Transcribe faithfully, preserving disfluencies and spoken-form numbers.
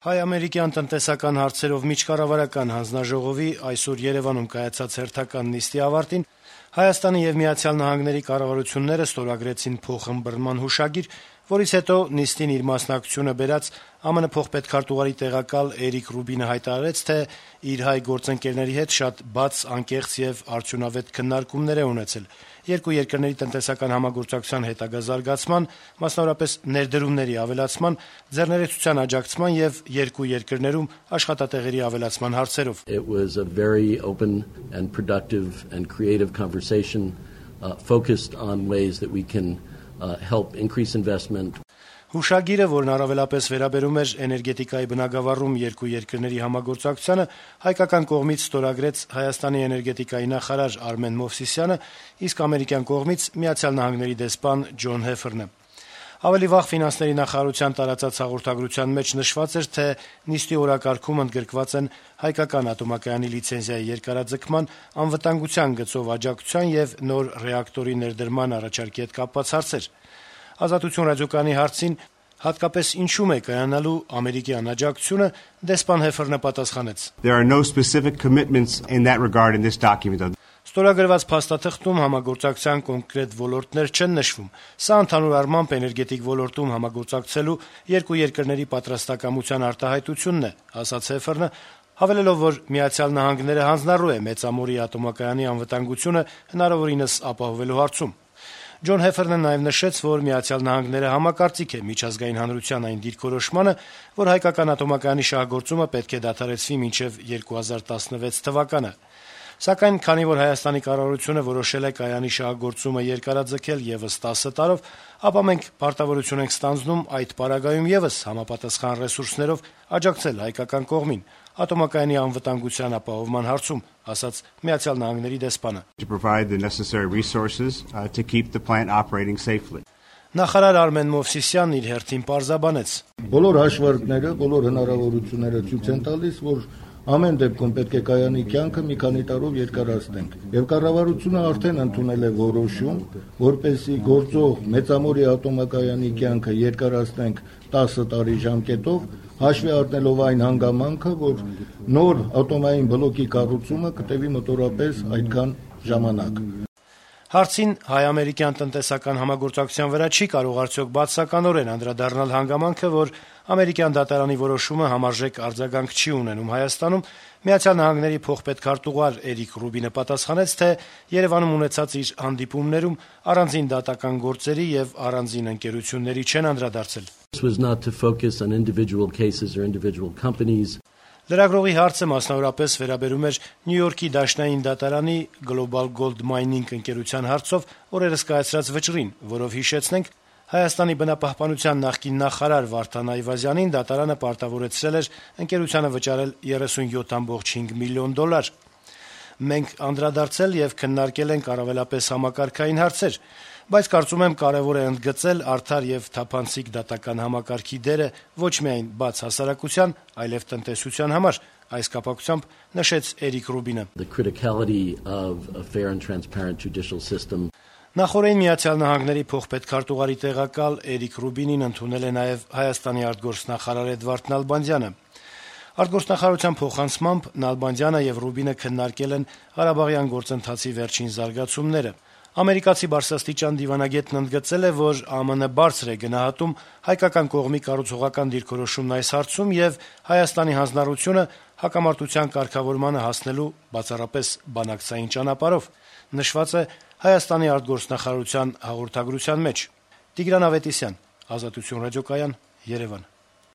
Հայ-ամերիկյան տնտեսական հարցերով միջկառավարական հանձնաժողովի այսօր Երևանում կայացած հերթական նիստի ավարտին Հայաստանի եւ Միացյալ Նահանգների կառավարությունները ստորագրեցին փոխըմբռնման հուշագիր, որից հետո նիստին իր մասնակցությունը բերած ԱՄՆ փոխպետքարտուղարի տեղակալ Էրիկ Ռուբինը հայտարարեց, թե իր հայ գործընկերների հետ շատ բաց, անկեղծ եւ արդյունավետ քննարկումներ է ունեցել երկու երկրների տնտեսական համագործակցության հետագա զարգացման, մասնավորապես ներդրումների ավելացման, ձեռներեցության աջակցման եւ երկու երկրներում աշխատատեղերի ավելացման հարցերով։ It was a very open and productive and creative conversation uh, focused on ways that we can uh, help increase investment. Հուշագիրը, որն առավելապես վերաբերում էր էներգետիկայի բնագավառում երկու երկրների համագործակցությանը, հայկական կողմից ստորագրեց Հայաստանի էներգետիկայի նախարար Արմեն Մովսիսյանը, իսկ ամերիկյան կողմից Միացյալ Նահանգների դեսպան Ջոն Հեֆերնը։ Ավելի վաղ ֆինանսների նախարարության տարածած հաղորդագրության մեջ նշված էր, թե նիստի օրակարգում ընդգրկված են հայկական ատոմակայանի լիցենզիայի երկարաձգման, անվտանգության գծով աջակցության եւ նոր ռեակտորի ներդրման առաջարկի հետ կապված հարցեր։ Ազատություն ռադիոկայանի հարցին հատկապես ինչու՞մ է կայանալու ամերիկյան աջակցությունը, դեսպան Հեֆերնը պատասխանեց. There are no specific commitments in that regard in this document. Ստորագրված փաստաթղթում համագործակցության կոնկրետ ոլորտներ չեն նշվում։ Սա ընդհանուր առմամբ էներգետիկ ոլորտում համագործակցելու երկու երկրների պատրաստակամության արտահայտությունն է, ասաց Հեֆերնը, հավելելով, որ Միացյալ Նահանգները հանձնառու է Մեծամորի ատոմակայանի անվտանգությունը հնարավորինս ապահովելու հարցում։ Ջոն Հեֆերնը նաև նշեց, որ Միացյալ Նահանգները համակարծիք է միջազգային հանրության այն դիրքորոշմանը, որ հայկական ատոմակայանի շահագործումը պետք է դադարեցվի մինչև երկու հազար տասնվեց թվականը։ Սակայն, քանի որ Հայաստանի կառավարությունը որոշել է կայանի շահագործումը երկարաձգել եւս տասը տարով, ապա մենք պարտավորություն ենք ստանձնում այդ պարագայում եւս համապատասխան ռեսուրսներով աջակցել հայկական կողմին ատոմակայանի անվտանգության ապահովման հարցում, ասաց Միացյալ Նահանգների դեսպանը։ To provide the necessary resources uh, to keep the plant operating safely. Նախարար Արմեն Մովսիսյանն իր հերթին պարզաբանեց. Բոլոր հաշվարկները, բոլոր հնարավորությունները ցույց են տալիս, որ ամեն դեպքում պետք է կայանի կյանքը մի քանի տարով երկարացնենք։ Եվ կառավարությունը արդեն ընդունել է որոշում, որպեսզի գործող Մեծամորի ատոմակայանի կյանքը երկարացնենք տասը տարի ժամկետով, հաշվի առնելով այն հանգամանքը, որ նոր ատոմային բլոկի կառուցումը կտևի մոտորապես այդքան ժամանակ։ Հարցին հայ-ամերիկյան տնտեսական համագործակցության վրա չի կարող արդյոք բացասականորեն անդրադառնալ հանգամանքը, որ ամերիկյան դատարանի որոշումը համարժեք արձագանք չի ունենում Հայաստանում, Միացյալ Նահանգների փոխպետքարտուղար Էրիկ Ռուբինը պատասխանեց, թե Երևանում ունեցած իր հանդիպումներում առանձին դատական գործերի եւ առանձին ընկերությունների չեն անդրադարձել։ This was not to focus on individual cases or individual companies. Լրագրողի հարցը մասնավորապես վերաբերում էր Նյու Յորքի դաշնային դատարանի Global Gold Mining ընկերության հարցով օրերս կայացրած վճռին, որով հիշեցնենք, Հայաստանի բնապահպանության նախկին նախարար Վարդան Այվազյանին դատարանը պարտավորեցրել էր ընկերությանը վճարել երեսունյոթ կόμma հինգ միլիոն դոլար։ Մենք անդրադարձել եւ քննարկել ենք առավելապես համակարգային հարցեր, բայց կարծում եմ կարեւոր է ընդգծել արդար եւ թափանցիկ դատական համակարգի դերը ոչ միայն բաց հասարակության, այլև տնտեսության համար, այս կապակցությամբ նշեց Էրիկ Ռուբինը։ The criticality of a fair and transparent judicial system. Նախորդին Միացյալ Նահանգների փոխպետքարտուղարի տեղակալ Էրիկ Ռուբինին ընդունել է նաեւ Հայաստանի արտգործնախարար Էդվարդ Նալբանդյանը։ Արտգործնախարարության փոխանցմամբ Նալբանդյանը եւ Ռուբինը քննարկել են Ղարաբաղյան գործընթացի վերջին զարգացումները։ Ամերիկացի բարձրաստիճան դիվանագետն ընդգծել է, որ ԱՄՆ բարձր է գնահատում հայկական կողմի կառուցողական դիրքորոշումն այս հարցում եւ Հայաստանի հանձնառությունը հակամարտության կարգավորմանը հասնելու բացառապես բանակցային ճանապարհով, նշված է Հայաստանի արտգործնախարարության հաղորդագրության մեջ։ Տիգրան Ավետիսյան, Ազատություն ռադիոկայան, Երևան։